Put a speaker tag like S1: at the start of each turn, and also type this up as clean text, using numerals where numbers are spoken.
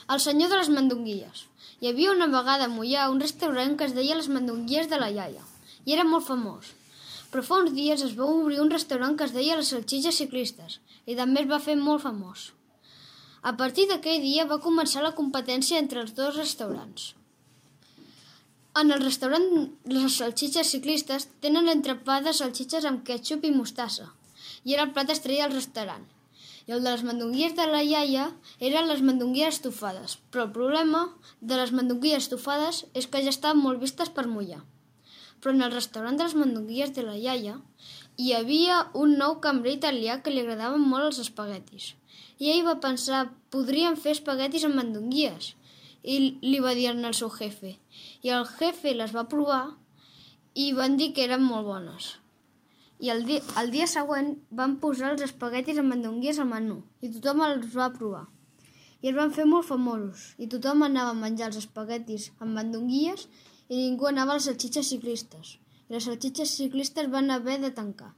S1: El senyor de les mandonguilles. Hi havia una vegada a Moià un restaurant que es deia les mandonguilles de la iaia i era molt famós. Però fa uns dies es va obrir un restaurant que es deia les salsitxes ciclistes i també es va fer molt famós. A partir d'aquell dia va començar la competència entre els dos restaurants. En el restaurant les salsitxes ciclistes tenen l'entrepà de salsitxes amb ketchup i mostassa i era el plat estrella del restaurant. I el de les mandonguilles de la iaia eren les mandonguilles estofades, però el problema de les mandonguilles estofades és que ja estaven molt vistes per Moià. Però en el restaurant de les mandonguilles de la iaia hi havia un nou cambrer italià que li agradaven molt els espaguetis. I ell va pensar, podríem fer espaguetis amb mandonguilles, i li va dir al seu jefe. I el jefe les va provar i van dir que eren molt bones. I el dia següent van posar els espaguetis amb mandonguilles al menú i tothom els va provar. I es van fer molt famosos i tothom anava a menjar els espaguetis amb mandonguilles i ningú anava a les salsitxes ciclistes. I les salsitxes ciclistes van haver de tancar.